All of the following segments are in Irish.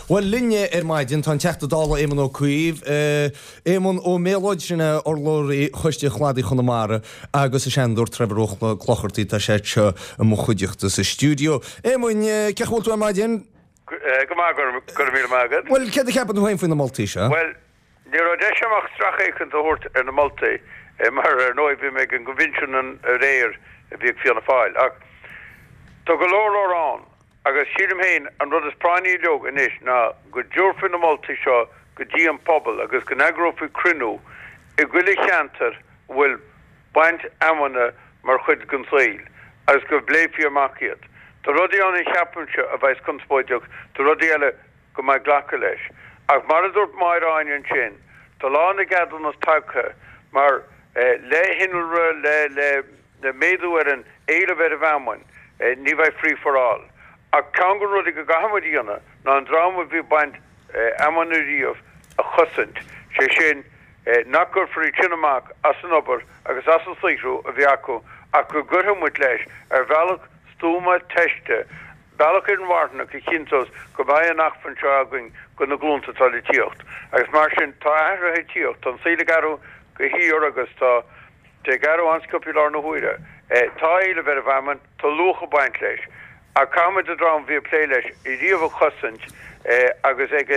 Bhuel, linn ar maidin tá an Teachta Dála Éamon Ó Cuív, Éamonn Ó Méalóid, sin é urlabhraí Choiste Chladaigh Chonamara agus an Seanadóir Trevor Ó Clochartaigh, tá sé anseo i mo chuideachta sa stiúideo. Éamoinn, cén chaoi a bhfuil tú ar maidin? Go maith, go raibh míle maith agat. Bhuel, céard a cheapann tú féin faoi na moltaí seo? Bhuel, ní raibh deis agam ach sracfhéachaint a thabhairt ar na moltaí mar ar ndóigh bhí mé ag an gconvention aréir a bhí ag Fianna Fáil. Ach tá go leor leor ann agus sílim féin an rud is práinní uilig anois ná go dtabharfaí na moltaí seo go dtí an pobal agus go n-eagrófaí cruinniú i gcuile cheantar a bhfuil baint fheamainne mar chuid den saol agus go bpléifí amach iad. Tá rudaí ann a cheapaimse a bheas conspóideach, tá rudaí eile go mbeidh glacadh leis. Ach mar a dúirt Máire Áine ansin, tá lá na gceadúnas tagtha mar le hinnealra, le le méadú ar an éileamh ar an bhfeamainn, ní bheidh free for all. Ach ceann de na rudaí go gcaithfidh muid a dhéanamh ná an dream a bhí ag baint fheamainne riamh a chosaint, sé sin, nach gcuirfear iad sin amach as an obair agus as an saothrú a bhí acu ach go gcuirfidh muid leis ar bhealach stuama teiste, bealach inmharthanach a chinnteos go mbeidh an acmhainn seo againn do na glúnta atá le tíocht. Agus mar sin, tá athruithe ag tíocht, tá an saol ag athrú de shíor agus tá sé ag athrú an-sciobtha i láthair na huaire. Tá éileamh ar an bhfeamainn, tá luach ag baint leis. Ach caithfimid an dream a bhí ag plé leis riamh a chosaint agus ag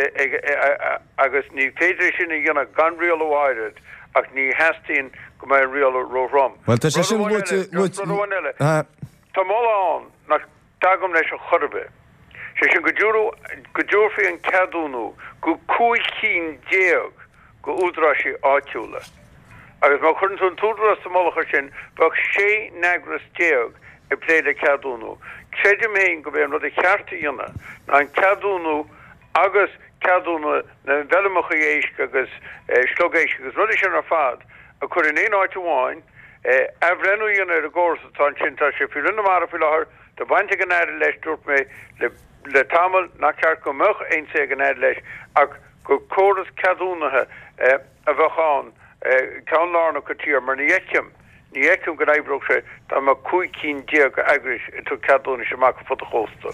agus ní féidir é sin a dhéanamh gan rialú áirid ach ní theastaíonn go mbeidh an rialú róthrom. Bhuel, tá sé sin luaite, luaite. Rud amháin eile, tá moladh ann nach dtagaim leis ar chor ar bith, sé sin go go dtabharfaí an ceadúnú go 15 cinn de údaráisí áitiúla. Agus má chuireann tú an t-údarás sa mullach air sin, bheadh 16 n-eagras ag plé le ceadúnú. Creidim féin gurb é an rud a cheart a dhéanamh ná an ceadúnú agus ceadúnú na bhfeirmeacha éisc agus sliogéisc agus rudaí sin ar fad a chur in aon áit amháin, athbhreithniú a dhéanamh ar an gcóras atá ansin. Tá sé faoi Roinn na Mara faoi láthair, tá baint ag an Aire leis, dúirt mé le tamall nach ceart go mbeadh aon say ag an Aire leis ach gur córas ceadúnaithe a bheadh ann, ceann lárnach sa tír, mar ní fheicim, ní fheicim go n-oibreodh sé dá mbeadh 15 cinn d'eagrais ag tabhairt ceadúnais amach ar fud an chósta.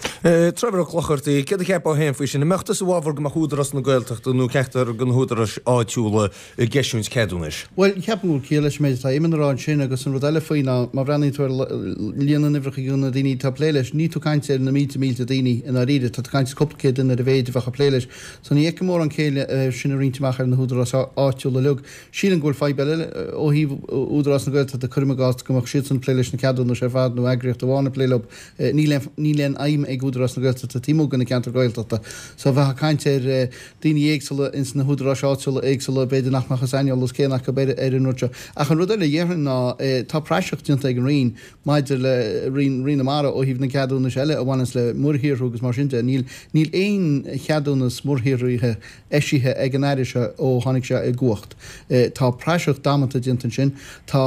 Trevor Ó Clochartaigh, céard a cheapfá féin faoi sin? An mbeadh tusa i bhfabhar go mbeadh Údarás na Gaeltachta nó ceachtar de na húdaráis áitiúla ag eisiúint ceadúnais? Bhuel, ceapaim go bhfuil ciall leis an méid atá Éamon a rá ansin agus an rud eile faoi ná má bhreathnaíonn tú ar líon na n-uimhreacha de na daoine atá ag plé leis, níl tú ag caint ar na mílte mílte daoine i ndáiríre, tá tú ag caint ar cúpla céad duine ar a mhéid a bheadh ag plé leis. So ní fheicim mórán céille é sin a roinnt amach ar na húdaráis áitiúla uilig. Sílim go bhfuil fadhb eile ó thaobh Údarás na Gaeltachta, cuirim i gcás go mbeadh siadsan ag plé leis na ceadúnais ar fad nó eagraíocht amháin ag plé leo. Níl aon níl aon fheidhm ag Údarás na Gaeltachta taobh amuigh de na ceantair Ghaeltachta. So bheifeá ag caint ar daoine éagsúla ins na húdaráis áitiúla éagsúla b'fhéidir nach mbeadh an saineolas céanna acu ar ar an rud seo. Ach an rud eile a dhéarfainn ná tá praiseach déanta ag an Roinn Maidir le Roinn, Roinn na Mara ó thaobh na gceadúnais eile a bhaineanns le muirshaothrú agus mar sin de, níl, níl aon cheadúnas muirshaothraithe eisithe ag an Aire seo ó tháinig sé i gcumhacht. Tá praiseach damanta déanta ansin. Tá,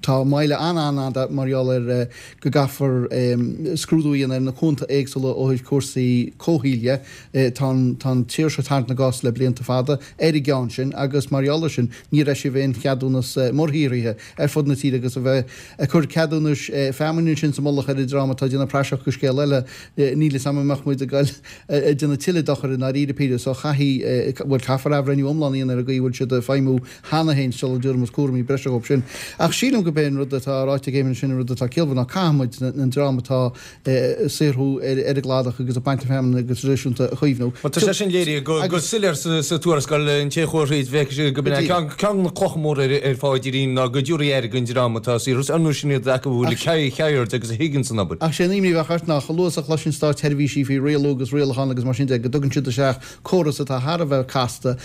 tá moill an-an-fhada mar gheall ar go gcaithfear scrúdú a dhéanamh ar na cuanta éagsúla ó thaobh cúrsaí comhshaoil dhe. Tá an, tá an tír seo ag tarraingt na gcos le blianta fada ar an gceann sin agus mar gheall ar sin níor eisíodh aon cheadúnas muirshaothraithe. ar fud na tíre agus a bheith ag cur ceadúnais feamainne ansin sa mullach ar an dream atá ag déanamh praiseach de scéal eile, níl 'fhios a'm an mbeadh muid ag goil ag déanamh tuilleadh dochair i ndáiríre píre. So caithfidh, bhuel caithfear athbhreithniú iomlán a dhéanamh ar an gcaoi a bhfuil siad ag feidhmiú cheana féin sula dtabharfaidh muid cúraimí breise dhóibh sin. Ach sílim gurb é an rud atá ráite ag Éamon ansin an rud atá ciallmhar ná caithfidh muid an dream atá ag saothrú ar an gcladach agus ag baint na feamainne go traidisiúnta a chaomhnú. Bhuel, tá sé sin léirithe go soiléir sa tuarascáil, an té a chuaigh thríd, bhfeicfidh sé go b'in é ceann de na clocha móra ar Pháidín ná go dtabharfaí aire don dream atá ag saothrú, ar ndóigh sin iad acu a bhfuil ceird agus a thuigeann san obair. Ach sé an imní a bheadh ort ná chomh luath is a chloiseann státseirbhísí faoi rialú agus rialachán agus mar sin de, go dtugann siad isteach córas atá thar a bheith casta.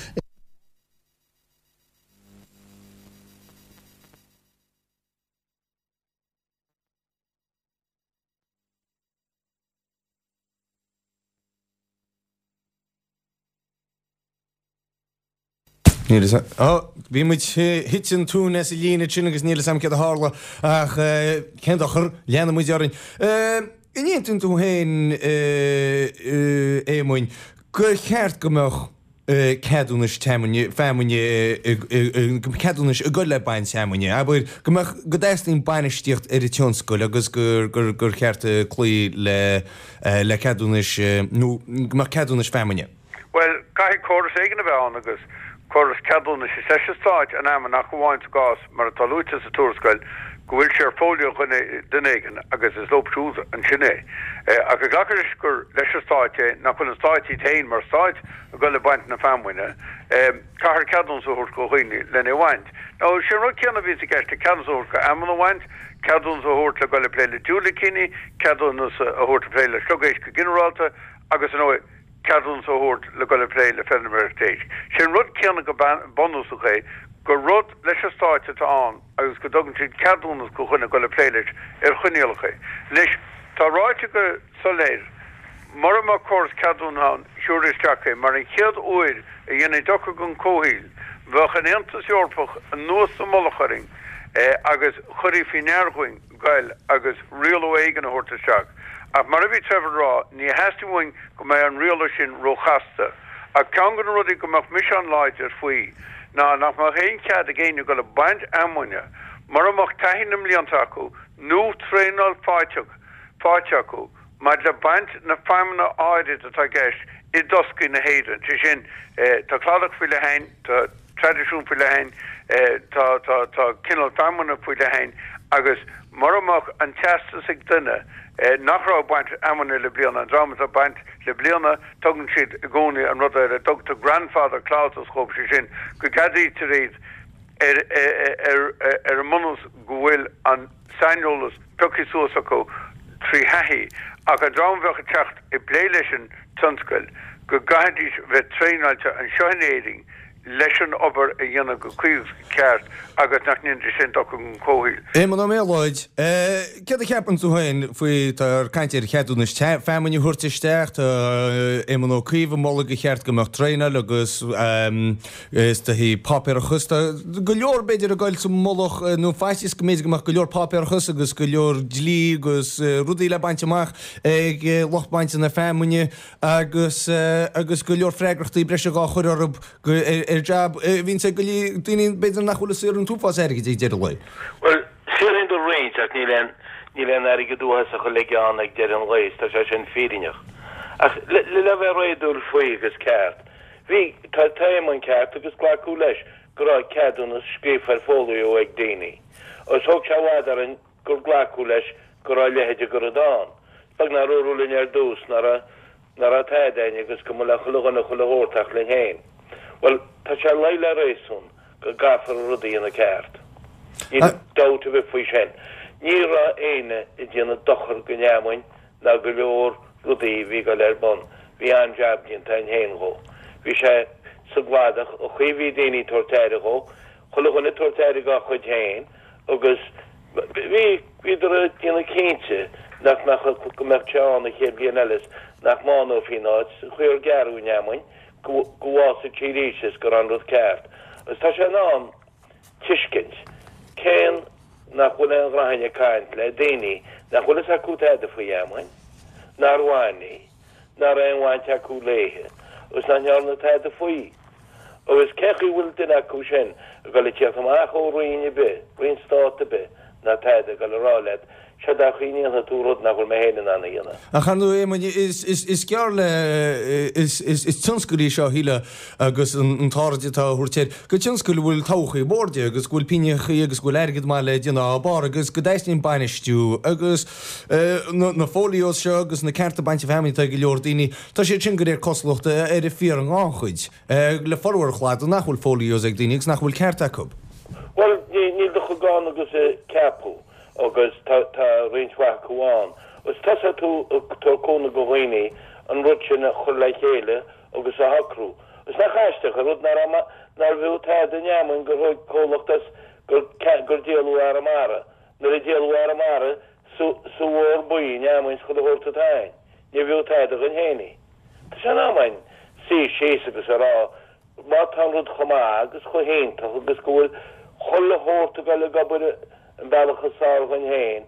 Níl 'fhios a'm. Ó, bhí muid, thit an tóin as an líne ansin agus níl 'fhios a'm céard a tharla ach cén dochar, leanfaidh muid orainn. An aontaíonn tú féin, Éamoinn, gur cheart go mbeadh. ceadúnais feamainne, ceadúnais ag goil le baint feamainne, abair, go mbeadh, go dteastaíonn bainistíocht ar an tionscal agus gur, gur, gur cheart cloí le, le ceadúnais nó go mbeadh ceadúnais feamainne. Bhuel, caithfidh córas éigin a bheith ann agus córas ceadúnais is leis an Stáit an fheamainn ach amháin sa gcás, mar atá luaite sa tuarascáil, go bhfuil sé ar fóilió dhuine, duine éigin agus is leo siúd ansin é. Ach ag glacadh leis gur leis an Stáit é, nach bhfuil an Stáit iad féin mar Stáit ag dul ag baint na feamainne, caithfear ceadúnas a thabhairt do dhaoine lena é bhaint. Now, sé an rud céanna a bhíonns i gceist le ceadúnas a thabhairt go fheamainn a bhaint, ceadúnas a thabhairt le dul ag plé le diúilicíní, ceadúnas a thabhairt ag plé le sliogéisc go ginearálta agus, ar ndóigh, ceadúnas a thabhairt le dul ag plé le feilméaracht éisc. Sé an rud céanna go bunúsach é gur rud leis an Stáit atá ann agus go dtugann siad ceadúnas go dhuine dul ag plé leis ar choinníollacha. Anois, tá ráite go soiléir, mura mbeadh córas ceadúnaithe ann, thiúrfaí isteach é mar an chéad uair a dhéanfaí dochar don chomhshaoil, bheadh an Aontas Eorpach anuas sa mullach orainn agus chuirfí faoi ndear dhúinn goil agus rialú éigin a thabhairt isteach. Ach mar a bhí Trevor ag rá, ní theastaíonn uainn go mbeadh an rialú sin róchasta. Ach ceann de na rudaí go mbeadh mise an-láidir faoi ná nach mbeadh aon chead ag éinne dul ag baint fheamainne mura mbeadh taithí na mblianta acu nó traenáil faighte faighte acu maidir le baint na feamainne áirid atá i gceist i dtoscaí na hÉireann. Sé sin, tá cladach faoi leith a'inn, tá traidisiún faoi leith a'inn, tá, tá, tá cineál feamainne faoi leith a'inn agus mura mbeadh an teastas ag duine nach raibh ag baint fheamainne le bliana, an dream atá ag baint le bliana, tugann siad i gcónaí an rud ar a dtugtar grandfather clauses dhóibh, sé sin, go gceadaítear iad ar, ar, ar an mbunús go bhfuil an saineolas pioctha suas acu trí thaithí, ach an dream a bheadh ag teacht ag plé leis an tionscal, go gcaithfidís bheith traenáilte anseo in Éirinn leis an obair a dhéanamh go cuí agus go ceart agus nach ndéanfaidís aon dochar don chomhshaol. Éamonn Ó Méalóid, Céard a cheapann tú féin faoi, tá caint ar cheadúnais feamainne a thabhairt isteach, tá Éamon Ó Cuív ag moladh gur cheart go mbeadh traenáil agus Is dóichí páipéarachas. Tá go leor, b'fhéidir, ag goil sa mullach, nó faitíos go mb'fhéidir go mbeadh go leor páipéarachas agus go leor dlí agus rudaí le baint amach ag lucht bainte na feamainne agus agus go leor freagrachtaí breise dhá chur orthu ar jab a bhíonns ag go leor daoine b'fhéidir nach bhfuil ag saothrú an t-uafás airgid ag deireadh an lae. Bhuel, saothraíonn do roinnt ach níl aon níl aon airgead uafásach uilig ann ag deireadh an lae, tá sé sin fírinneach. Ach le le bheith réadúil faoi agus ceart, Bhí, tá Éamonn ceart agus glacadh leis go raibh ceadúnas scríofa ar fóilió ag daoine. Agus thóg sé i bhfad orainn gur glacadh leis go raibh a leithéid de rud ann. Is beag nár dúradh linn ar dtús ná raibh, ná raibh tada a'inn agus go mba le chuile dhuine chuile shórt ach linn féin. Bhuel, tá sé luí le réasún go gcaithfear an rud a dhéanamh ceart. Níl dabht ar bith faoi sin. Ní raibh éinne ag déanamh dochar don fheamainn ná go leor rudaí a bhí ag dul ar bun. Bhí an-jab déanta a'inn féin dhó. Bhí sé sa gcladach, an chaoi a bhí daoine ag tabhairt aire dhó, chuile dhuine ag tabhairt aire dhá chuid féin agus bhí, bhíodar ag déanamh cinnte nach mbeadh, go mbeadh sé ann an chéad bhliain eile is nach mbánófaí an áit, an chaoi ar gearradh an fheamainn, go, go bhfásfadh sí arís is go raibh an rud ceart. Agus tá sé in am tuiscint cén nach bhfuil aon ghnó a'inn ag caint le daoine nach bhfuil fhios acu tada faoi fheamainn, nár bhain í, ná raibh aon bhaint acu léithe agus nach ndearna tada faoi. Agus cén chaoi a bhfuil duine acu sin ag dul ag tíocht amach ó roinn ar bith, roinn stát ar bith, ná tada, ag dul a rá leat, Seod é an chaoi a ndéanfaidh tú rud nach bhfuil mé féin in ann a dhéanamh. Ach ar ndóigh, Éamoinn, is gearr le, is tionscal í seo, a shílfeá, agus an t-aird atá á thabhairt air, gur tionscal a bhfuil todhchaí mhór di agus go bhfuil pingineachaí agus go bhfuil airgead maith le déanamh dá barr agus go dteastaíonn bainistiú agus na folios seo agus na cearta bainte feamainne atá ag go leor daoine, tá siad sin de réir cosúlachta ar an fíor-ghannchuid le formhór an chladaigh nach bhfuil folios ag daoine agus nach bhfuil ceart acu. Bhuel, níl de chomh gann agus a ceapadh. agus tá roinnt mhaith acu ann. Agus tosóidh tú ag tabhairt cúnamh do dhaoine an rud sin a chur le chéile agus a shocrú. Agus nach aisteach an rud ná raibh nárbh fhiú tada an fheamainn gur thóg comhlacht as gur gur díoladh Arramara. Nuair a díoladh Arramara sa sa mhór buí an fheamainn is chuile shórt atá a'inn. Níorbh fhiú tada dhuinn féin í. Tá sé in am a'inn suí síos agus a rá Má tá an rud chomh maith agus chomh hiontach agus go bhfuil chuile shórt ag dul ag obair an bealach is fearr dhuinn féin,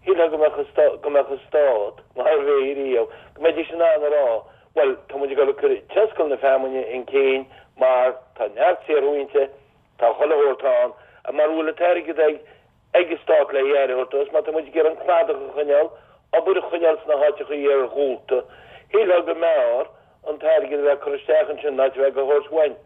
shílfeá go mbeadh an go mbeadh an stát, mar a bhí riamh, go mbeidís in ann a rá, Bhuel, tá muid ag dul ag cur tionscal na feamainne chun cinn mar tá neart saothrú inti, tá chuile shórt ann, mara bhfuil an t-airgead ag ag an stát le aire a thabhairt dó, is má tá muid ag iarraidh an cladach a choinneáil, obair a choinneáil sna háiteacha iarghúlta, shílfeá go mb'fhearr an t-airgead a bheith ag cur isteach ansin ná a bheith á thabhairt uainn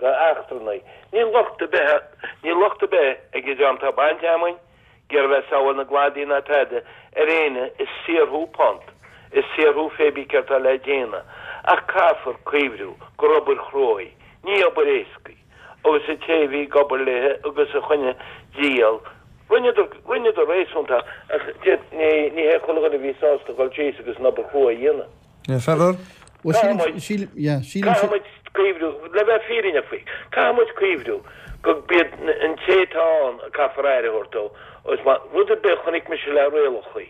go eachtrannaigh. Níl locht ar bith, níl locht ar bith ag an dream atá ag baint fheamainn, ag iarraidh bheith ag sábháil na gcladaí ná tada ar éinne ag saothrú punt, ag saothrú fé bí céard tá le déanamh, ach caithfear cuimhriú gur obair chrua í, ní obair éasca í, agus an té a bhí ag obair léithe agus a choinnigh díol, rinneadar, rinneadar réasúnta, ach ní, ní hé chuile dhuine a bhí sásta dhul síos agus an obair chrua a dhéanamh. Trevor? Bhuel, sílim, sílim, yeah, sílim, Caithfidh muid cuimhriú, le bheith fírinneach faoi, caithfidh muid cuimhriú go b'iad an té atá ann a caithfear aire a thabhairt dó agus má, rud ar bith a chonaic mise le rialachaí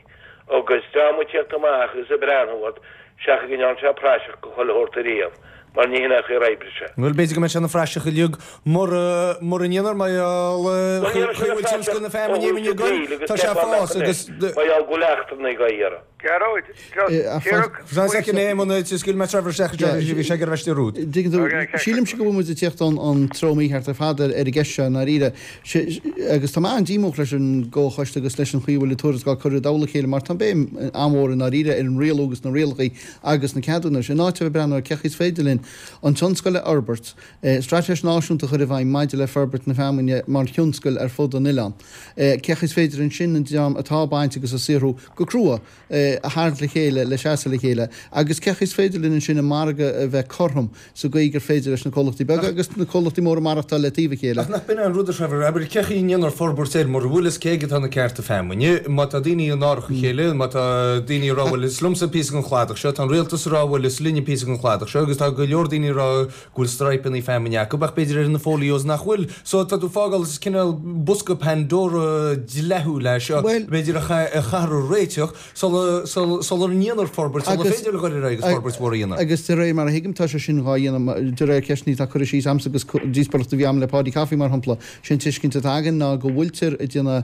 agus dream ag tíocht amach agus ag breathnú ort seachas go ndearna sé praiseach go chuile shórt ariamh mar ní hin é an chaoi ar oibrigh sé. Bhuel, b'fhéidir go mbeidh sé ina phraiseach uilig mura, mura ndéanfar mar gheall, Bhuel, ní raibh sé chaoi ina bhfuil tionscal phraiseach na ó feamainne thús imigh an againn, tsaoil agus tá sé ag ceapfá fás nach agus. Mar gheall go bhfuil eachtrannaigh á iarraidh. Gearóid, Dtuigeann tú, sílimse go bhfuil muid ag tíocht ón treo mícheart ar fad ar an gceist seo i ndáiríre. Agus tá mé an-díomách leis an gComhchoiste agus leis an chaoi a bhfuil an tuarascáil curtha i dtoll a chéile mar tá an béim an-mhór i ndáiríre ar an rialú agus na rialacha agus na ceadúnais. In áit a bheith ag breathnú ar cén chaoi is féidir linn an tionscal a fhorbairt, straitéis náisiúnta a chur i bhfeidhm maidir le forbairt na feamainne mar thionscal ar fud an oileáin, cén chaoi is féidir ansin an dream atá ag baint agus ag saothrú go crua, a tharraingt le chéile, le seasamh le chéile, agus cén chaoi is féidir linn ansin an margadh a bheith cothrom sa gcaoi gur féidir leis na comhlachtaí beaga agus na comhlachtaí móra maireachtáil le taobh a chéile. Ach nach b'in é an rud, a Trevor, abair, cén chaoi a ndéanfar forbairt air mura bhfuil fhios cé aige atá na cearta feamainne, má tá daoine in árach a chéile, má tá daoine ag rá bhuel is liomsa píosa den chladach seo, tá an rialtas ag rá bhuel is linne píosa den chladach seo agus tá go leor daoine ag rá go bhfuil straidhpeanna feamainne acu ach b'fhéidir ar na folios nach bhfuil. So tá tú fágáil is cineál bosca Pandora dleathúil é seo b'fhéidir a chaithfear a réiteach sula sula ndéanfar forbairt sula féidir a dhul ar aghaidh agus forbairt mhór a dhéanamh. Agus de réir mar a thuigim tá sé sin dhá dhéanamh de réir ceisteanna atá curtha síos a'msa agus díospóireacht a bhí a'm le Paudie Coffey mar shampla, sé an tuiscint atá againn ná go bhfuiltear ag déanamh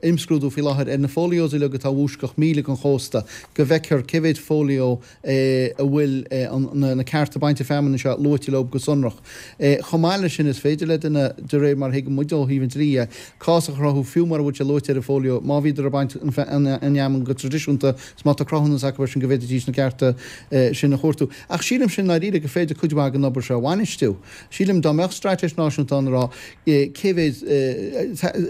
imscrúdú faoi láthair ar na folios uilig atá i bhfoisceacht míle den chósta go bhfeicfear cé mhéid folio a bhfuil na cearta bainte feamainne seo luaite leo go sonrach. Chomh maith leis sin, is féidir le duine, de réir mar a thuigeann muid ó thaobh an dlí dhe, cás a chruthú fiú mura bhfuil sé luaite ar an bhfóilió, má bhíodar ag baint an fheamainn go traidisiúnta is má tá cruthúnas acu air sin go bhféadfaidís na cearta sin a chuartú. Ach sílimse i ndáiríre gur féidir cuid mhaith den obair seo a bhainistiú. Sílim, dá mbeadh straitéis náisiúnta ann a rá cé mhéid,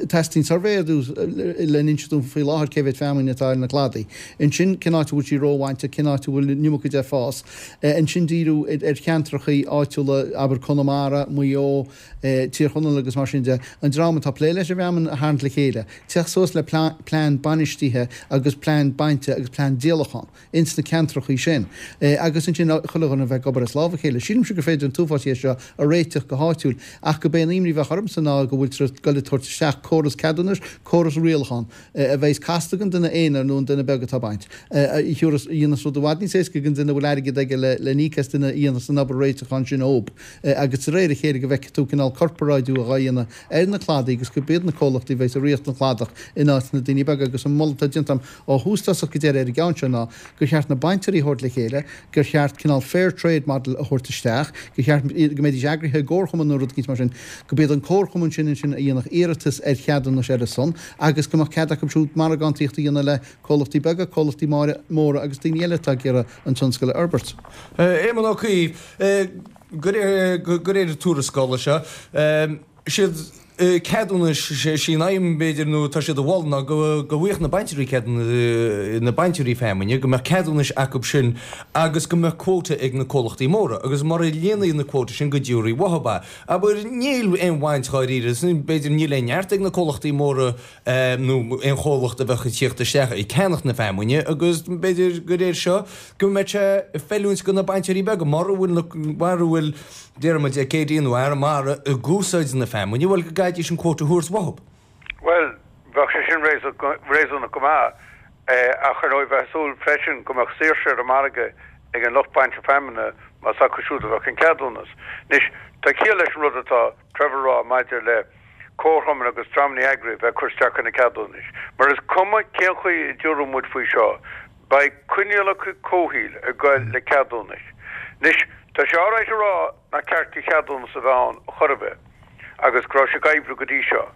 teastaíonn suirbhé ar dtús le n-inse dúinn faoi láthair cé mhéid feamainn atá ar na cladaí. Ansin cén áit a bhfuil sí róbhainte, cén áit a bhfuil an iomarca de ag fás. Ansin díriú ar cheantrachaí áitiúla, abair Conamara, Maigh Eo, Tír Chonaill agus mar sin de, an dream atá ag plé leis an bhfeamainn a tharraingt le chéile, teacht suas le plean bainistithe agus plean bainte agus plean díolacháin. ins na ceantrachaí sin agus ansin chuile dhuine a bheith ag obair as lámh a chéile. Sílimse gur féidir an t-uafás dhe seo a réiteach go háitiúil ach go b'é an imní a bheadh ormsa ná go bhfuiltear ag goil ag tabhairt isteach córas ceadúnais, córas rialachán a bheas casta don duine aonair nó an duine beag atá ag baint, a thiúrfas, a dhéanfas rud i bhfad níos éasca don duine a bhfuil airgead aige le n-íoc as duine a dhéanfas an obair réiteacháin sin dhób agus de réir a chéile go bhfeicfidh tú cineál corparáidiú dhá dhéanamh ar na cladaí agus go b'iad na comhlachtaí a bheas i ríocht an chladach in áit na daoine beaga agus an moladh atá déanta agam ó thús tosach go deireadh ar an gceann seo ná gur cheart na bainteoirí a thabhairt le chéile, gur cheart cineál fair trade model a thabhairt isteach, gur cheart go mbeidís eagraithe i gcomharchumann nó rud eicínt mar sin, go b'iad an comharchumann sin ansin a dhéanfadh iarratas ar cheadúnas ar a son agus go mbeadh cead acu siúd margántaíocht a dhéanamh le comhlachtaí beaga, comhlachtaí móra agus daoine eile atá ag iarraidh an tionscal a fhorbairt. Éamon Ó Cuív, De réir na tuarascála seo, siad ceadúnais, sí an aidhm b'fhéidir nó atá siad a mholadh ná go bhfaigheadh na bainteoirí ceadúnais, na bainteoirí feamainne, go mbeadh ceadúnais acu sin agus go mbeadh quota ag na comhlachtaí móra agus mura líonfaí na quota sin go dtabharfaí uathu é. Abair, níl aon bhaint dháiríre, b'fhéidir níl aon neart ag na comhlachtaí móra nó aon chomhlacht a bheadh ag tíocht isteach ag ceannacht na feamainne agus b'fhéidir de réir seo go mbeadh sé ag feiliúint do na bainteoirí beaga mura bhfuil, mura bhfuil déarfaidh muid Acadia nó Arramara ag úsáid na feamainne, bhuel go gcaithfidís an quota a thabhairt uathu. Bhuel, bheadh sé sin réasúnach go maith ach ar ndóigh bheifeá ag súil freisin go mbeadh saoirse ar an margadh ag an lucht bainte feamainne más acu siúd a bheadh an ceadúnas. Anois, tá ciall leis an rud atá Trevor a rá maidir le comharchumainn agus dreamanna eagraithe a bheith ag cur isteach ar na ceadúnais. Mar is cuma cén chaoi a dtiúrfaidh muid faoi seo, beidh coinníollacha comhshaoil ag goil le ceadúnais. Anois, tá sé alright a rá nach ceart do cheadúnas a bheith ann chor ar bith agus go raibh sé ag oibriú go dtí seo.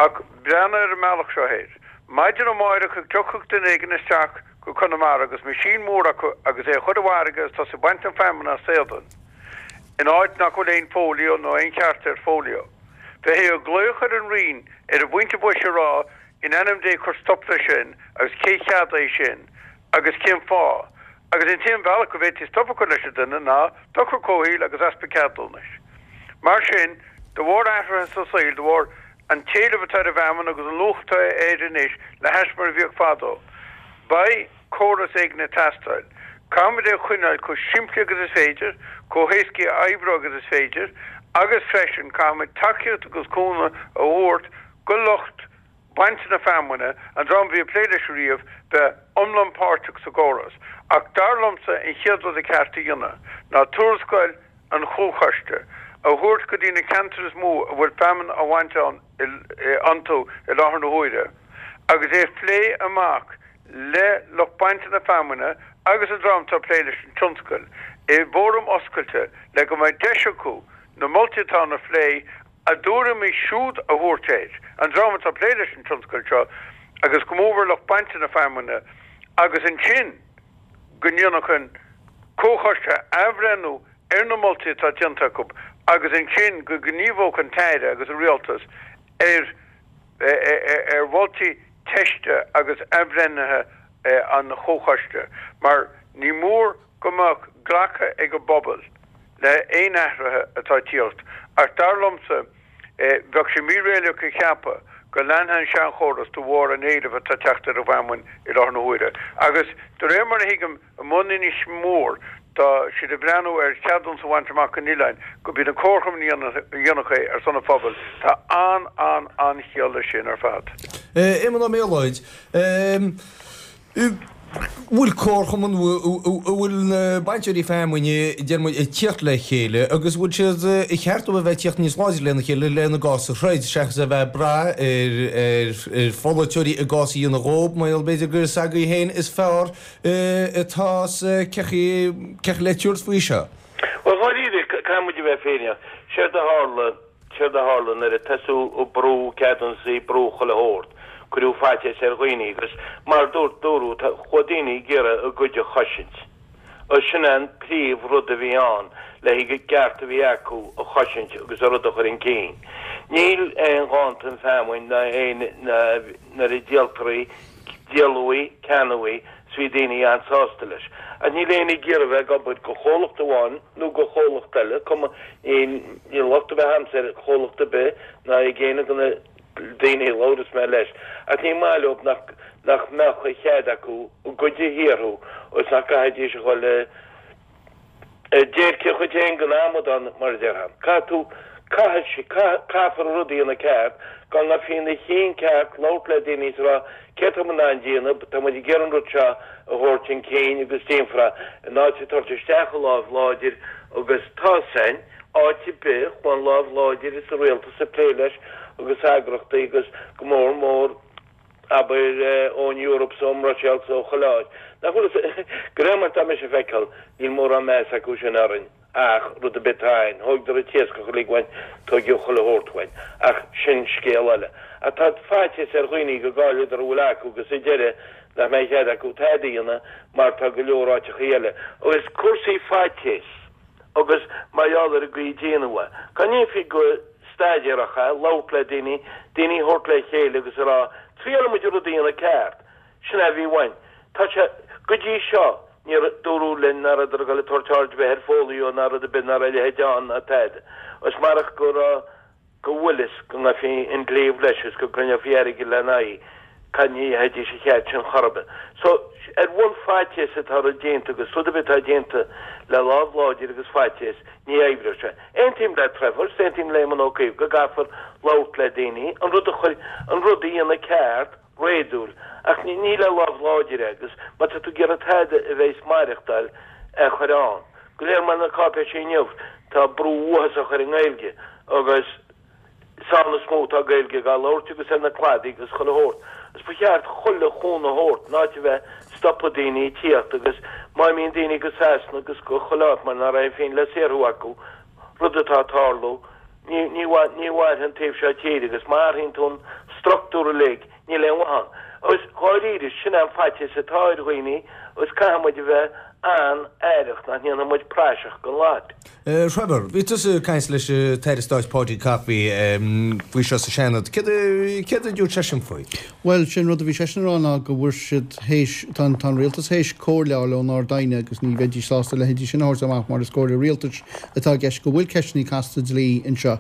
Ach breathnaigh ar an mbealach seo air. Maidin amáireach go dtiocfadh duine éigin isteach go Conamara agus meaisín mór acu agus é a chur i bhfarraige agus tosú ag baint an feamainn as éadan in áit nach bhfuil aon fóilió nó aon cheart ar fóilió. Bheifí ag glaoch ar an Roinn ar an bpointe boise a rá in ainm Dé cuir stop leis sin agus cé cheadaigh sin agus cén fáth agus an t-aon bhealach go bhféadfaí stop a chur leis an duine ná dochar comhshaoil agus easpa ceadúnais. Mar sin, de bharr athruithe sa saol, de bharr an t-éileamh atá ar an bhfeamainn agus an luach atá air anois le hais mar a bhíodh fadó, beidh córas éigin ag teastáil. Caithfimid é a choinneáil chomh simplí agus is féidir, chomh héascaí a oibriú agus is féidir agus freisin caithfimid tacaíocht agus cúnamh a thabhairt go lucht bainte na feamainne, an dream a bhí ag plé leis riamh, bheith iomlán páirteach sa gcóras. Ach dar liomsa an chéad rud a ceart a dhéanamh ná tuarascáil an chomhchoiste a thabhairt go dtí na ceantair is mó a bhfuil feamainn á bhaint ann iontu i láthair na huaire agus é a phlé amach le lucht bainte na feamainne agus an dream atá ag plé leis an tionscal i bhfóram oscailte le go mbeidh deis acu na moltaí atá ann a phlé a dtuairimí siúd a thabhairt air, an dream atá ag plé leis an tionscal seo agus go mórmhór lucht bainte na feamainne agus ansin go ndéanfadh an Comhchoiste athbhreithniú ar na moltaí atá déanta acu agus ansin go ngníomhódh an tAire agus an Rialtas ar ar mholtaí teiste agus athbhreithnithe an Chomhchoiste mar ní mór go mbeadh glactha ag an bpobal le haon athruithe atá ag tíocht ach dar liomsa bheadh sé míréalaíoch a cheapadh go leanfaidh an seanchóras de bharr an éilimh atá ag teacht ar an bhfeamainn i láthair na huaire agus de réir mar a thuigim amuigh in Inis Mór tá siad ag breathnú ar cheadúnas a bhaint amach don oileán go b'iad na comharchumainn a dhéanfadh é ar son an phobail. Tá an-an-an-chiall leis sin ar fad. Éamonn Ó Méalóid, bhfuil comharchumann, an bhfuil na bainteoirí feamainne, deir muid, ag tíocht le chéile agus bhfuil siad, ar cheart dóibh a bheith ag tíocht níos láidre lena chéile lena gcás a throid seachas a bheith ag brath ar ar pholaiteoirí a gcás a dhéanamh dhóibh mar gheall b'fhéidir gur s'agaibh féin is fearr atá cé acu le tabhairt faoi seo. Bhuel, dháiríre, caithfidh muid a bheith fírinneach. Séard a tharla. Séard a tharla nuair a tosaíodh ag brú ceadúnasaí, brú chuile shórt, cuireadh faitíos ar dhaoine agus mar dúirt, dúradh, chuaigh daoine ag iarraidh a gcuid a chosaint. Agus sin é an príomh rud a bhí ann, le haghaidh an gceart a bhí acu a chosaint agus a rud a chur chun cinn. Níl aon dhán don feamainn ná aon, nuair a díoltar í, díoladh í, ceannaíodh í, 's bhí daoine an-sásta leis. Ach níl éinne ag iarraidh bheith ag obair go chomhlacht amháin nó go chomhlacht eile, cuma, níl locht ar bith a'msa ar chomhlacht ar bith ná ag éinne de na daoine a labhras mé leis, ach ní maith leob nach, nach mbeadh a chead acu a gcuid a shaothrú agus nach gcaithfidís a dhul a, Déirce dhuit fhéin den amadán, mar a déarfá. Caithfidh tú, caithfidh sí, caithfear an rud a dhéanamh ceart, go ngaibhfí ina chinn ceart, labhairt le daoine is a rá, céard tá muid in ann déanamh, tá muid ag iarraidh an rud seo a thabhairt chun cinn agus déanfar é, in áit a tabhairt isteach an láimh láidir agus tá san, áit ar bith, chuaigh an láimh láidir is an rialtas ag plé leis agus eagrachtaí agus go mór mór, abair, ón Eoraip 's ón mBruiséil 's ó chuile áit. Nach bhfuil fhios, de réir mar atá mise a feiceáil, níl mórán meas acu sin orainn ach rud ar bith atá ann, thóigdear an t-iascach uilig uainn, tóigeadh chuile shórt uainn. Ach sin scéal eile. Ach tá faitíos ar dhaoine go gcaillfeadar a bhfuil acu agus sa deireadh nach mbeidh cead acu tada a dhéanamh mar tá go leor áiteachaí eile. Agus cúrsaí faitíos agus mar gheall ar an gcaoi a déanadh é. Go ndéanfaí go staidéarach é, labhairt le daoine, daoine a thabhairt le chéile agus a rá, triailfidh muid an rud a dhéanamh ceart. Sin é a bhí uainn. Tá sé, go dtí seo, níor dúradh linn ná rabhadar ag dul ag tabhairt aird ar bith ar fóilió ná rud ar bith ná raibh a leithéid ann ná tada. Agus marach go raibh, go bhfuil fhios go ngaibhfí an claíomh leis is go gcruinneofaí airgead lena aghaidh, cad ní fhaighidís an chead sin chor ar bith. So, ar bhun faitíos atá rud déanta agus rud ar bith atá déanta le lámh láidir agus faitíos, ní oibreoidh sé. Aontaím le Trevor, is aontaím le Éamon Ó Cuív go gcaithfear labhairt le daoine, an rud a chur, an rud a dhéanamh ceart, réadúil, ach ní, ní le lámh láidir agus má tá tú ag iarraidh tada a bheidh ag maireachtáil a chur ann. Go léir mar na cáipéisí inniu, tá brú uathásach ar an nGaeilge agus is ann is mó atá Gaeilge á labhairt agus ar na cladaí agus chuile shórt. Agus ba cheart chuile chúnamh a thabhairt, in áit a bheith stopadh daoine ag tíocht agus má imíonn daoine go Sasana agus go chuile áit mar ná raibh aon phingin le saothrú acu, rud atá ag tarlú, ní, ní, ní mhairfidh an taobh seo tíre agus má athraíonn tú an structúr uilig, níl aon mhaith ann. Agus dháiríre, sin é an faitíos atá ar dhaoine agus caithfidh muid a bheith an-aireach nach ndéanfaidh muid praiseach den lot. Trevor, bhí tusa ag caint leis an tAire Stáit Paudie Coffey faoi seo sa Seanad. Céard a dúirt seisean faoi? Bhuel, sé an rud a bhí seisean a rá ná go bhfuair siad théis, tá an, tá an rialtas théis comhairle a fháil ón Ard-Aighne agus ní bheidís sásta a leithéidí sin a thabhairt amach mar is comhairle rialtais atá i gceist, go bhfuil ceisteanna casta dlí anseo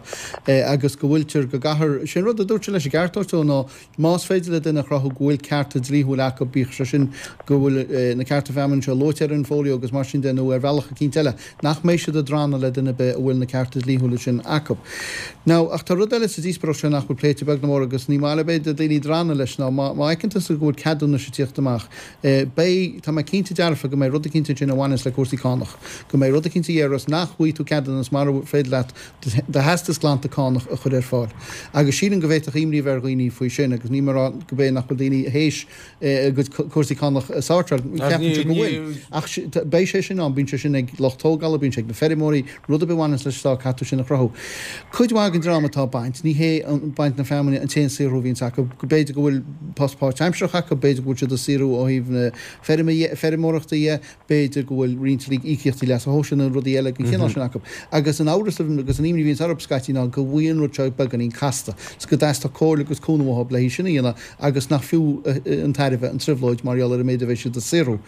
agus go bhfuiltear, go gcaithfear, sé an rud a dúirt sé leis an gceart a thabhairt dó ná más féidir le duine a chruthú go bhfuil cearta dlíthiúla acu, bíodh sé sin go bhfuil na cearta feamainne seo luaite ar an bhfolio agus mar sin de nó ar bhealach eicínt eile, nach mbeidh siad ag drannadh le duine ar bith a bhfuil na cearta dlíthiúla sin acu. Now, ach tá rud eile sa díospoireacht seo nach bhfuil pléite beag ná mór agus ní maith le b'fhéidir daoine drannadh leis ná má má fheiceann tusa go bhfuil ceadúnais ag tíocht amach, eh, beidh, tá mé cinnte dearfa go mbeidh rud eicínt ansin a bhaineas le cúrsaí cánach, go mbeidh rud eicínt a dhéarfas nach bhfaighidh tú ceadúnas mara féidir leat do theastas glanta cánach a chur ar fáil. Agus sílim go bhféadfadh imní a bheith ar dhaoine faoi sin agus níl mé ag rá go b'é nach bhfuil daoine théis a gcuid cúrsaí cánach a shórtáil. Ceapaimse go bhfuil. Ach beidh sé sin ann, bíonn sé sin ag lucht tógála, bíonn sé ag na feirmeoirí, rud ar bith a bhaineanns leis an stát, caithfidh tú sin a chruthú. Cuid mhaith den dream atá ag baint, ní hé baint na feamainne an t-aon saothrú a bhíonns acu. B'fhéidir go bhfuil post páirtaimsearach acu, b'fhéidir go bhfuil siad ag saothrú ó thaobh na feirme dhe, feirmeoireachta dhe, b'fhéidir go bhfuil roinnt íocaíochtaí leasa shóisialaigh nó rudaí eile den chineál sin acu. Agus an amhras agus an imní a bhíonns orthu scaití ná go bhfuil an rud seo beagáinín casta, 's go dteastódh comhairle agus cúnamh uathu le hí sin a dhéanamh agus nach fiú an tairbhe an trioblóid mar gheall ar an méid a bheidh siad ag saothrú.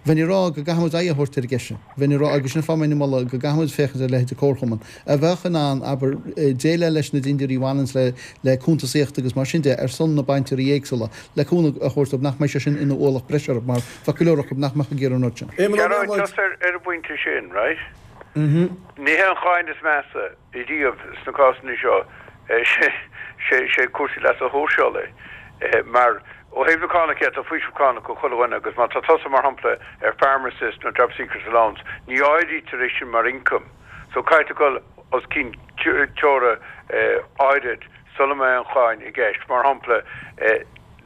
Bheinn ag rá go gcaithfidh muid aghaidh a thabhairt ar an gceist sin. Bheinn ag rá, agus sin an fáth a mbeinn ag moladh, go gcaithfidh muid féachaint ar a leithéid de comharchumann a bheadh in ann, abair, déileáil leis na dindiúirí a bhaineanns le le cuntasaíocht agus mar sin de ar son na bainteoirí éagsúla, le cúnamh a thabhairt dóibh nach mbeidh sé sin ina ualach breise orthu mar bheadh go leor acu nach mbeadh ag iarraidh an rud sin. Gearóid, just ar an bpointe sin, right? Ní hé an cháin is measa riamh sna cásanna seo, sé cúrsaí leasa shóisialaigh mar ó thaobh na cánach dhe, tá faoiseamh cánach do chuile dhuine agus má tá tusa mar shampla ar Farm Assist nó Jobseeker's Allowance ní áirítear é sin mar income so caithfidh tú dul os cionn teora áirid sula mbeidh an cháin i gceist. Mar shampla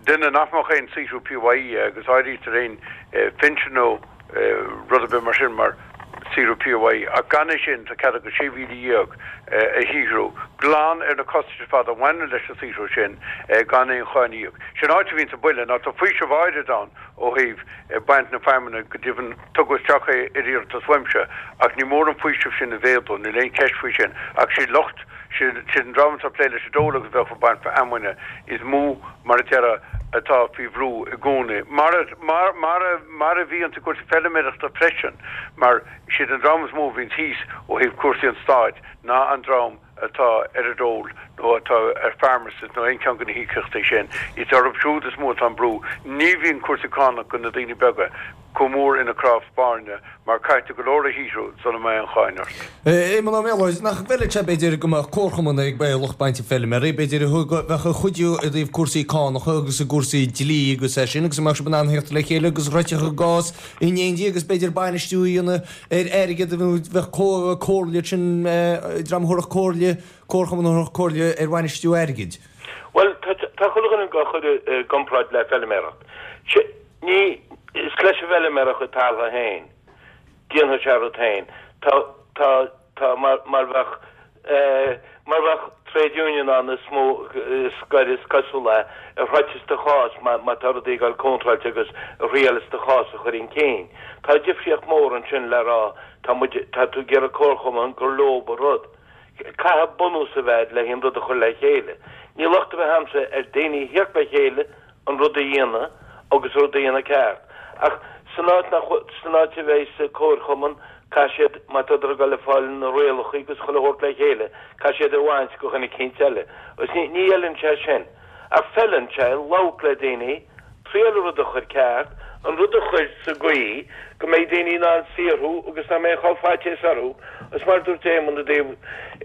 duine nach mbeadh aon saothrú PAYE agus áirítear aon phinsean nó rud ar bith mar sin mar saothrú PAYE ach gan é sin tá cead agat 16,000 a shaothrú glan ar na costais ar fad a bhaineann leis an saothrú sin gan aon cháin a íoc. Sin áit a bhíonns an buille ná tá faoiseamh áirid ann ó thaobh baint na feamainne go deimhin tugadh isteach é ar iarratas uaimse ach ní mór an faoiseamh sin a mhéadú níl aon cheist faoi sin ach siad lucht Siad an dream atá ag plé leis an dole agus bheadh ag baint feamainne is mó, mar a déarfá, atá faoi bhrú i gcónaí. Mar a, mar, mar a, mar a bhíonns i gcúrsaí feilméarachta freisin, mar siad an dream is mó a bhíonns thíos ó thaobh cúrsaí an stáit ná an dream atá ar an dole nó atá ar Farm Assist nó aon cheann de na híocaíochtaí sin. Is orthu siúd is mó atá an brú. Ní bhíonn cúrsaí cánach do na daoine beaga. chomh mór ina cnámh spairne mar caithfidh tú go leor a shaothrú sula mbeidh an cháin ort. Éamonn Ó Méalóid, Nach bhfeilfeadh sé, b'fhéidir, go mbeadh comharchumann ag lucht bainte feilméaraí, b'fhéidir, a bheadh ag cuidiú i dtaobh cúrsaí cánacha agus i gcúrsaí dlí agus é sin agus a mbeadh sibh in ann theacht le chéile agus réiteach an gcás in éindí agus b'fhéidir bainistiú a dhéanamh ar airgead nó bheadh comhairle sin, dream a thabharfadh comhairle, comharchumann a thabharfadh comhairle ar bhainistiú airgid. Bhuel, tá chuile dhuine á chur i gcomparáid le feilméaracht. Ní, is leis an bhfeilméara a chuid taltha féin. Déanfaidh sé a rud féin. Tá, tá, tá, mar, mar bheadh, eh, mar bheadh trade union ann is mó, is gaire is cosúla é, a throidfeas do chás má, má tá rudaí ag dul contráilte agus a thriailfeas do chás a chur chun cinn. Tá difríocht mór ansin le rá, tá muid, tá tú ag iarraidh comharchumann gur leob an rud. Caithfidh bunús a bheith le haon rud a chur le chéile. Ní locht a bheith a'msa ar daoine a thíocht le chéile an rud a dhéanamh agus rud a dhéanamh ceart. Ach san áit nach, san áit a bheidh sa comharchumann, caithfidh siad, má tádar ag dul ag fáil na rialacha agus chuile shórt le chéile, caithfidh siad a bhaint go dhuine eicínt eile. Agus ní, ní fheileann sé sin. Ach feileann sé labhairt le daoine, triail an rud a chur ceart, an rud a chur sa gcaoi go mbeidh daoine in ann saothrú agus nach mbeidh chomh faitíos orthu. Agus mar a dúirt Éamonn i dtaobh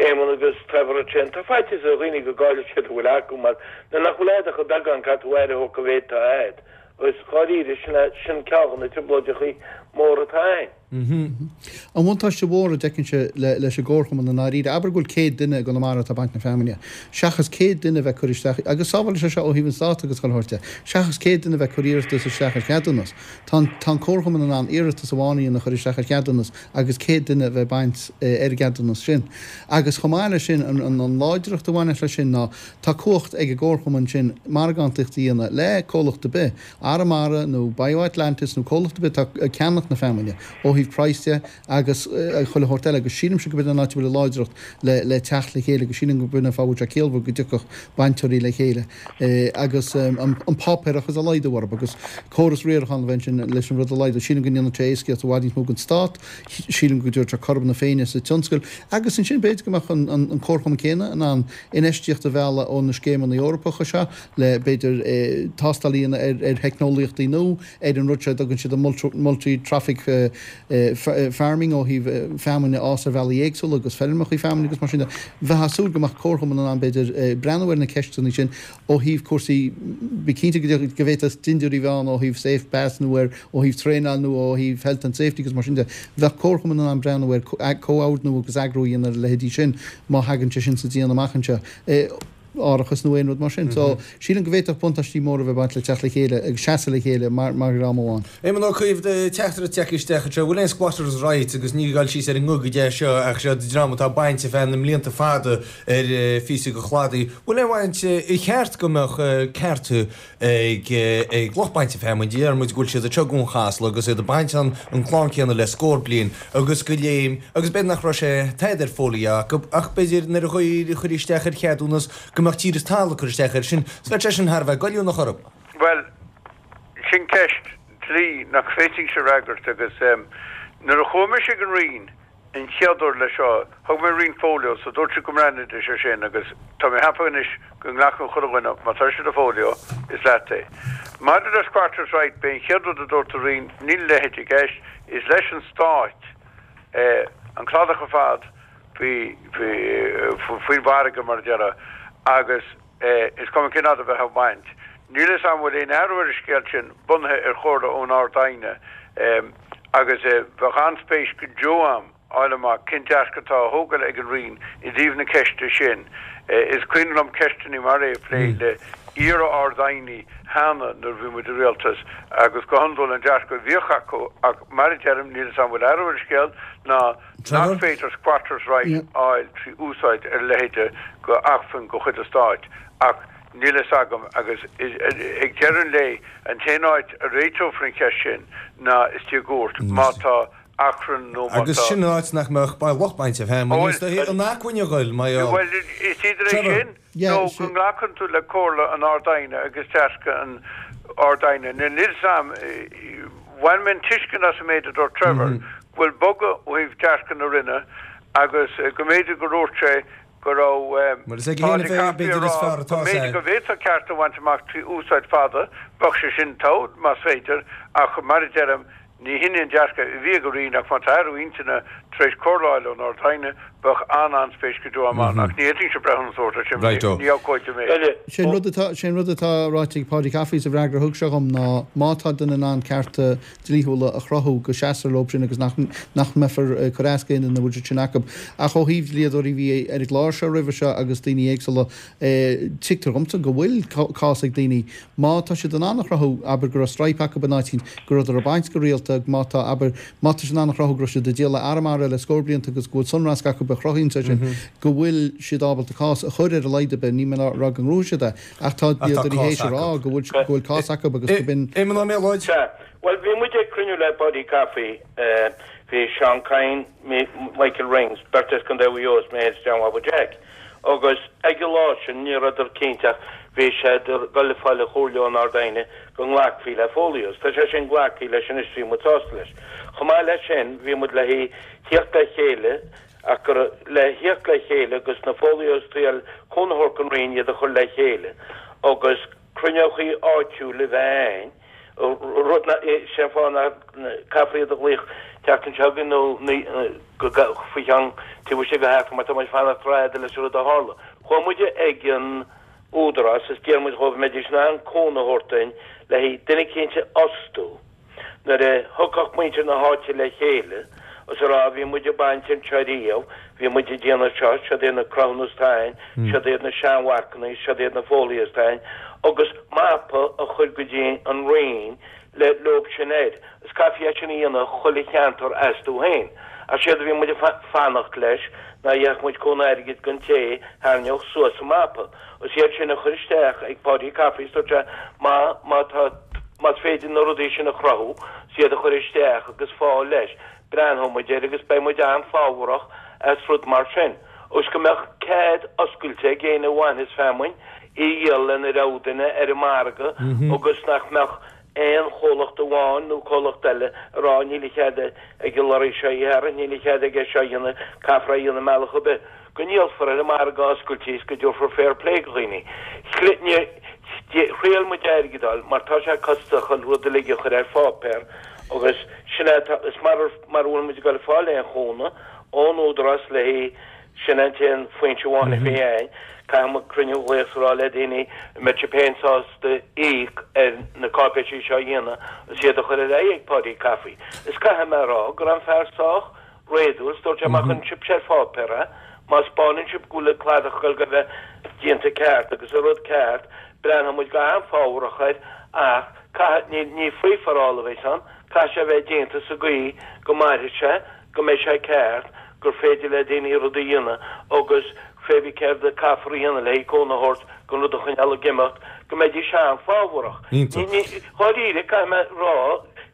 Éamonn agus Trevor ansin, tá faitíos ar dhaoine go gcaillfidh siad a bhfuil acu mar Nuair nach bhfuil a'd ach an beagán caithfidh tú aire a thabhairt go mhéid atá a'd. Agus dháiríre, sin é, sin ceann de na trioblóideachaí. mór atá ann. An bhuntáiste mhór a d'fheicinnse leis an gcomharchumann i ndáiríre, abair go bhfuil 100 duine i gConamara atá ag baint na feamainne, seachas 100 duine a bheith ag cur isteach, agus sábhálfaidh sé seo ó thaobh an Stáit agus chuile shórt de, seachas 100 duine a bheith ag cur iarratas isteach ar cheadúnas, tá an tá an comharchumann in ann iarratas amháin a dhéanamh a chur isteach ar cheadúnas agus 100 duine a bheith ag baint ar an gceadúnas sin. Agus chomh maith leis sin, an an láidreacht a bhaineas leis sin ná tá cumhacht ag an gcomharchumann sin margántaíocht a dhéanamh le comhlacht ar bith, Arramara nó BioAtlantis nó comhlacht ar bith atá ag ceannach na feamainne, ó thaobh praghas de agus chuile shórt eile, agus sílimse gurb in an áit a bhfuil an láidreacht le le teacht le chéile agus sílim gurb in an fáth a bhfuil sé ciallmhar go dtiocfadh bainteoirí le chéile agus an páipéarachas a laghdú orthu agus córas riaracháin a bheith ansin leis an rud a laghdú. Sílim go ndéanfadh sé éascaíocht i bhfad níos mó don Stát, sílim go dtabharfadh sé cothrom na Féinne sa tionscal agus ansin b'fhéidir go mbeadh an comharchumann céanna in ann infheistíocht a mhealladh ó na scéimeanna Eorpacha seo le, b'fhéidir, tástáil a dhéanamh ar theicneolaíochtaí nua, ar an rud seo a dtugann siad an multi-trophic farming ó thaobh feamainn a fhás ar bhealaí éagsúla agus feirmeacha feamainne agus mar sin de. Bheifeá ag súil go mbeadh comharchumann in ann, b'fhéidir, breathnú ar na ceisteanna sin ó thaobh cúrsaí, bí cinnte go bhféadfadh dindiúirí a bheith ann ó thaobh safe pass nó ar ó thaobh traenáil nó ó thaobh health and safety agus mar sin de. Bheadh comharchumann in ann breathnú ar comhordnú agus eagrú a dhéanamh ar a leithéidí sin má thagann sé sin sa déanamh amach anseo. árachas nó aon rud mar sin. So, sílim go bhféadfadh buntáistí móra a bheith ag baint le teacht le chéile agus seasamh le chéile mar mar dhream amháin. Éamon Ó Cuív, teachtaireacht tagtha isteach anseo, bhfuil aon squatters right agus ní ag dul síos ar an nguth go dtí seo ach seo dream atá ag baint ar feadh na mblianta fada ar phíosa de chladaí. Bhfuil aon bhaint, ar cheart go mbeadh cearta ag ag lucht bainte feamainne, deir muid go bhfuil siad anseo i gCuan Chasla agus iad ag baint an an clann céanna le scór bliain agus go léim agus b'fhéidir nach raibh sé tada ar folio acu ach b'fhéidir nuair a chuir isteach ar cheadúnas go mbeadh tír is talamh ag cur isteach air sin so bheadh sé sin thar a bheith goilliúnach orthu. Bhuel, sin ceist dlí nach bhféadfainnse a fhreagairt agus nuair a chuaigh mise ag an Roinn an chéad uair leis seo, thug mé roinnt folios so dúirt siad go mbreathnaídís ar sin agus tá mé ag ceapadh anois go nglacann chuile dhuine, má tá sé i do folio, is leat é. Maidir le squatters right, b'é an chéad rud a dúirt an Roinn, níl a leithéid i gceist, is leis an Stát an cladach ar fad faoi, faoin bhfarraige mar a déarfá agus is cuma cén fhad a bheifeá ag baint. Níl a fhios agam an bhfuil aon athrú ar an scéal sin bunaithe ar chomhairle ón Ard-Aighne agus bheadh an-spéis go deo a'm fháil amach cén dearcadh atá á thógáil ag an Roinn i dtaobh na ceiste sin. Is cuimhin liom ceisteanna mar é a phlé le iar-Ard-Aighní cheana nuair a bhí muid i rialtas agus go hiondúil an dearcadh a bhíodh acu ach mar a deirim níl a fhios agam an bhfuil athrú ar an scéal ná Nach féidir squatters right a fháil trí úsáid ar a leithéide go acmhainn de chuid an stáit ach níl a fhios agam agus ag deireadh an lae an t-aon áit a réiteofar an cheist sin ná istigh i gcúirt má tá achrann nó má Agus tá. sin an áit nach mbeadh lucht bainte feamainne is dóichí an acmhainn a ghoil mar gheall. Bhuel is idir é sin nó go nglacann tú le comhairle an Ard-Aighne agus dearcadh an Ard-Aighne. Níl a fhios agam, bhain mé an tuiscint as an méid a dúirt Trevor, go bhfuil bogadh ó thaobh dearcadh na Roinne agus go mb'fhéidir gur dhúirt sé go raibh Bhuel, is ag Páidí Fianna Fáil Coffey ag b'fhéidir is rá fearr go atá mb'fhéidir sé. go bhféadfá ceart a bhaint amach trí úsáid fada, bheadh sé sin togha más féidir, ach mar a deirim, Ní hin é an dearcadh a bhí ag an Roinn ach má tá athrú intinne tar éis comhairle a fháil ón Ard-Aighne, bheadh an-an-spéis go deo a'm ann ach ní fhéadfainnse breithiúnas a thabhairt air sin, Righto. ní abhcóide mé. Sé an rud atá, sé an rud atá ráite ag Paudie Coffey sa bhfreagra a thug sé dhom ná má tá duine in ann cearta dlíthiúla a chruthú go seasfar leo sin agus nach, nach mbeifear ag cur as d'aon duine a bhfuil siad sin acu. Ach ó thaobh dlíodóirí a bhí ar an gclár seo roimhe seo agus daoine éagsúla, Tuigtear dhomsa go bhfuil cás ag daoine, má tá siad in ann a chruthú, abair, go raibh stripe acu in áit éicint, go rabhadar ag baint go rialta, má tá, abair, má tá siad in ann a chruthú go raibh siad ag díol le Arramara le scór blianta agus go bhfuil sonrasc acu a chruthaíonn sé sin, go bhfuil siad ábalta cás a chur ar a laghad ar bith, níl mé ag rá go ngnóthóidh siad é, ach tá dlíodóirí théis a rá go bhfuil, go bhfuil cás acu agus go b'in. Éamon Ó Méalóid. Sea. Bhuel, bhí muid ag cruinniú le Paudie Coffey, bhí Seán Kyne, Michael Rings, beirt as Contae Mhaigh Eo is mé féin is John Bhaba Jack. Agus ag an lá sin ní rabhadar cinnte ach bhí siad ag dul ag fáil an chomhairle ón Ard-Aighne go nglacfaí le folios. Tá sé sin glactha leis anois bhí muid sásta leis. Chomh maith leis sin bhí muid le thíocht le chéile ach gur le thíocht le chéile agus na folios a fháil cúnamh a thabhairt don Roinn iad a chur le chéile agus cruinneochaí áitiúil a bheith ann rud nach, sé an fáth nach caithfear iad a ghlaoch tseachtain seo chugainn nó go faoi cheann taobh istigh de sheachtain mar tá muid fanacht rófhada leis an rud a tharla. Chuaigh muid ag an Údarás is d'iarr muid dhóibh an mbeidís in ann cúnamh a thabhairt dúinn le haghaidh duine eicínt a fhostú. Nuair a thiocfadh muintir na háite le chéile is a rá bhí muid ag baint anseo riamh, bhí muid ag déanamh seo, siod iad na cruthúnais atá a'ainn, siod iad na seanmharcanna, siod iad na folaigh atá a'ainn, agus mapa a chur go dtí an Roinn le leob sin air. Is caithfí é sin a dhéanamh chuile cheantar astu féin. Ach séard a bhí muid ag fanacht leis ná gheobhadh muid cúnamh airgid gon té tharraingeodh suas an mapa. Is iad sin a chur isteach ag Paudie Coffey is dúirt sé má má tá más féidir na rudaí sin a chruthú is iad a chur isteach agus fáil leis breathnóidh muid air agus beidh muid an-fhábharach as rud mar sin. Agus go mbeadh cead oscailte ag éinne a bhainfeas feamainn í a dhíol lena rogha duine ar an margadh agus nach mbeadh aon chomhlacht amháin nó comhlacht eile a rá níl a chead ag an lorry seo í a tharraingt, níl a chead aige seo a dhéanamh, caithfear é a dhéanamh i mbealach ar bith, go ndíolfar ar an margadh oscailte is go dtabharfar fair play do dhaoine. Thriail muid airgead a fháil mar tá sé costasach an rud uilig a chur ar pháipéar agus sin é atá, is mara mara bhfuil muid ag dul ag fáil aon chúnamh ón Údarás le haghaidh Sin an t-aon foinse amháin a bhí a'ainn. Caithfidh muid cruinniú a ghlaoch is a rá le daoine an mbeadh sibh féin sásta íoc ar na cáipéisí seo a dhéanamh is iad a chur ar aghaidh ag Paudie Coffey. Is caithfidh mé a rá go raibh an fear sách réadúil is dúirt sé má chuireann sibhse ar pháipéar é, má 'spáineann sibh go bhfuil an cladach ag dul a bheith déanta ceart agus an rud ceart, breathnóidh muid go han-fhábharach air ach caithfidh, ní free for all a bheas ann, caithfidh sé a bheith déanta sa gcaoi go mairfidh sé. go mbeidh sé ceart, gur féidir le daoine rud a dhéanamh agus pé bith céard a caithfear a dhéanamh le haghaidh cúnamh a thabhairt don rud a choinneáil ag imeacht, go mbeidís an-fhábharach. Dháiríre, caithfidh mé a rá,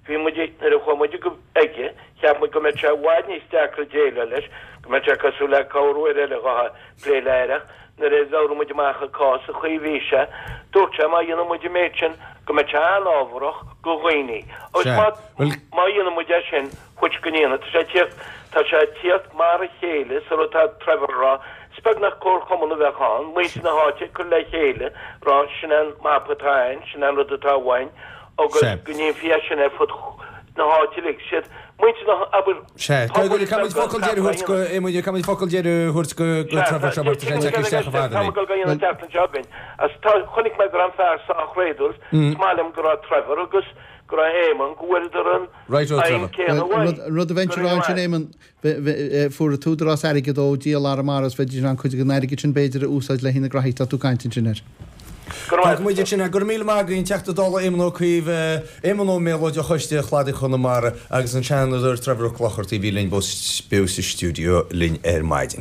bhí muid, nuair a chuaigh muid go aige, cheap muid go mbeadh sé i bhfad níos deacra déileáil leis, go mbeadh sé cosúil le corruair eile dhá plé le aire ach nuair a labhair muid amach an cás, an chaoi a bhí sé, dúirt sé má dhéanann muid an méid sin go mbeidh sé an-fhábharach go dhaoine. Agus má, má dhéanann muid é sin, which go ndéanfaidh, tá sé ag tíocht, tá sé ag tíocht mar a chéile sa rud atá Trevor a rá, is beagnach comharchumann a bheadh ann, muintir na háite ag cur le chéile, rá sin an mapa atá a'ainn, sin an rud atá uainn, agus go ndéanfaí é sin ar fud na háite uilig, siad muintir na, abair, Sea, pobail caithfimid focal deiridh a thabhairt go, Éamoinn, caithfimid focal deiridh a thabhairt go, go Trevor seo mar tá sé ag teacht isteach i bhfad Tá mé ag dul go dhéanamh an tseachtain seo againn, as tá, chonaic mé go raibh an fear sách réadúil, is maith liom go raibh Trevor agus go raibh Éamonn, go bhfuaireadar an Right o aidhm Trevor. céanna uaidh. An rud a bheinnse a rá ansin, Éamonn, fuair an tÚdarás airgead ó dhíol Arramara is bheidís in ann cuid den airgead sin b'fhéidir a úsáid le haghaidh na graithí atá tú ag caint ansin air. Fágfaidh muid ansin é. Go raibh míle maith agaibh, an Teachta Dála Éamon Ó Cuív, Éamon Ó Méalóid ó Choiste Chladaigh Chonamara agus an Seanadóir Trevor Ó Clochartaigh a bhí linn beo sa stiúideo linn ar maidin.